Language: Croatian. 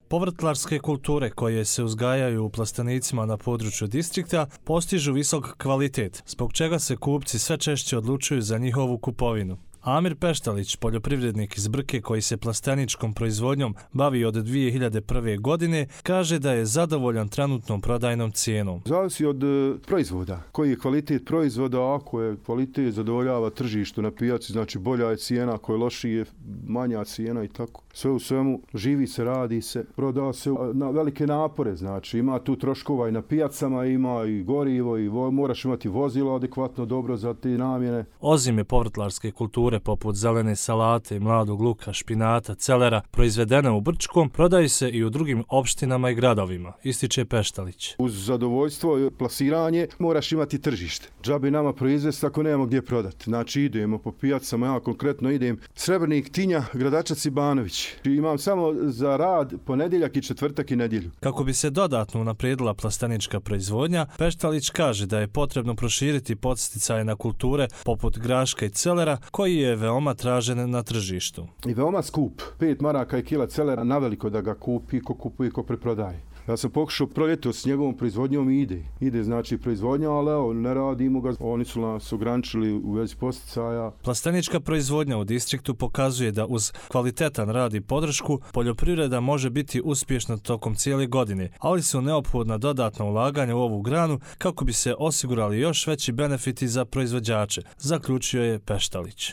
Povrtlarske kulture koje se uzgajaju u plastenicima na području distrikta postižu visok kvalitet, zbog čega se kupci sve češće odlučuju za njihovu kupovinu. Amir Peštalić, poljoprivrednik iz Brke koji se plasteničkom proizvodnjom bavi od 2001. godine, kaže da je zadovoljan trenutnom prodajnom cijenom. Zavisi od proizvoda. Koji je kvalitet proizvoda, ako je kvalitet zadovoljava tržištu na pijaci, znači bolja je cijena, ako je lošije, manja cijena i tako. Sve u svemu, živi se, radi se, proda se na velike napore, znači ima tu troškova i na pijacama, ima i gorivo i moraš imati vozilo adekvatno dobro za te namjene. Ozime povrtlarske kulture poput zelene salate, mladog luka, špinata, celera, proizvedene u Brčkom, prodaju se i u drugim opštinama i gradovima, ističe Peštalić. Uz zadovoljstvo i plasiranje moraš imati tržište. Džabe nama proizvesti ako nemamo gdje prodati. Znači idemo po pijacama, ja konkretno idem Srebrnik, Tinja, Gradačac i Banović. Imam samo za rad ponedjeljak i četvrtak i nedjelju. Kako bi se dodatno unaprijedila plastenička proizvodnja, Peštalić kaže da je potrebno proširiti podsticaje na kulture poput graška i celera, koji je veoma tražen na tržištu. I veoma skup. 5 maraka i kila celera naveliko da ga kupi, ko kupuje, ko preprodaje. Ja sam pokušao proljetos s njegovom proizvodnjom i ide znači proizvodnja, ali evo, ne radimo ga. Oni su nas ograničili u vezi posticaja. Plastenička proizvodnja u distriktu pokazuje da uz kvalitetan rad i podršku poljoprivreda može biti uspješna tokom cijele godine, ali su neophodna dodatna ulaganja u ovu granu kako bi se osigurali još veći benefiti za proizvođače, zaključio je Peštalić.